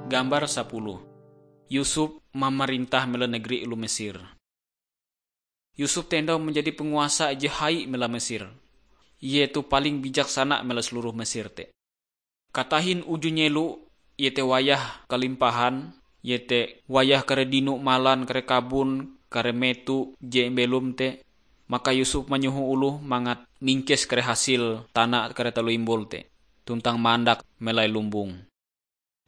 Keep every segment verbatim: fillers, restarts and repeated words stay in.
Gambar sapuluh. Yusuf mamarintah mela negeri oloh Mesir. Yusuf te endau manjadi panguasa ije hai mela Mesir. Ie toh paling bijaksana mela seluruh Mesir te. Katahin uju nyelo, iete wayah kalimpahan, iete wayah kare dino malan, kare kabon, kare meto je belom te, maka Yusuf manyoho oloh mangat mingkes kare hasil tana kare taloh imbul te, tuntang mandak melai lumbong.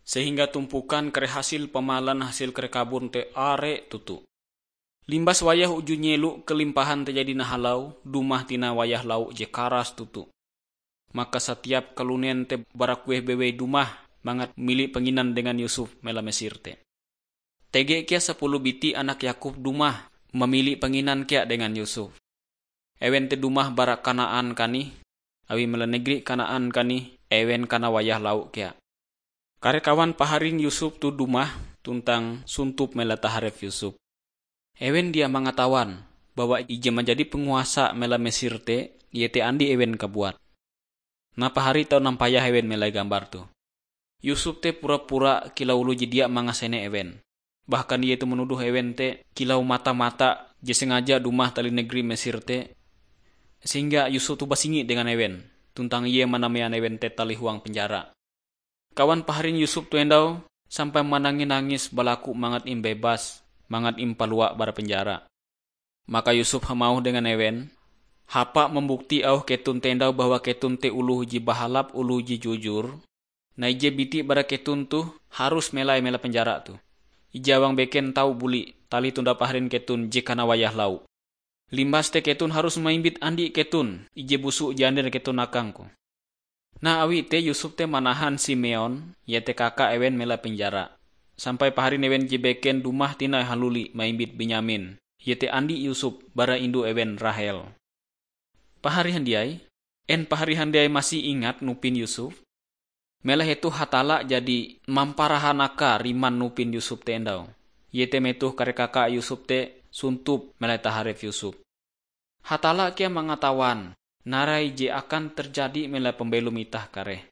Sehingga tumpukan kare hasil pamalan hasil kare kabon te are toto. Limbas wayah uju nyelo kalimpahan te jadi nahalau, dumah tina wayah lau je karas toto. Maka satiap kalunen te bara kueh bewei dumah mangat mili panginan dengan Yusuf mela Mesir te. Tege kea sapuluh biti anak Yakub dumah mamili panginan kea dengan Yusuf. Ewen te dumah bara Kanaan kanih, awi mela negeri Kanaan kanih ewen kana wayah lau kea. Kare kawan paharin Yusuf toh dumah tuntang suntup mela taharep Yusuf. Ewen dia mangatawan bahwa ije manjadi panguasa mela Mesir te, iete andi ewen kabuat. Nah, pahari tau nampayah ewen melai gambar toh. Yusuf te pura-pura kilau oloh je dia mangasene ewen. Bahkan ie toh manuduh ewen te kilau mata-mata je sengaja dumah talih negeri Mesir te, sehingga Yusuf toh basingi dengan ewen, tuntang ie manamean ewen te talih huang penjara. Kawan paharin Yusuf toh endau sampai manangi-nangis balaku mangat imbebas, mangat impalua bara penjara. Maka Yusuf hamauh dengan ewen, "Hapa mambukti auh keton te endau bahwa keton te oloh je bahalap, oloh je jujur. Nah, ije biti bara keton toh harus melai mela penjara toh. Ije awang beken tau buli talih tonda paharin keton je kana wayah lau. Limbas te keton harus maimbit andi keton ije busu je ander keton akangku." Nah, awi te Yusuf te manahan Simeon, iete kaka ewen mela penjara, sampai paharin ewen je beken dumah tinai haluli maimbit Benyamin, iete andi Yusuf bara indu ewen Rahel. Pahari handiai, en pahari handiai masih ingat nupin Yusuf? Mela hetoh Hatalla jadi mamparahanaka riman nupin Yusuf te endau. Iete metoh kare kaka Yusuf te suntup melai taharep Yusuf. Hatalla kea mangatawan narai je akan terjadi mela pambelom itah kareh.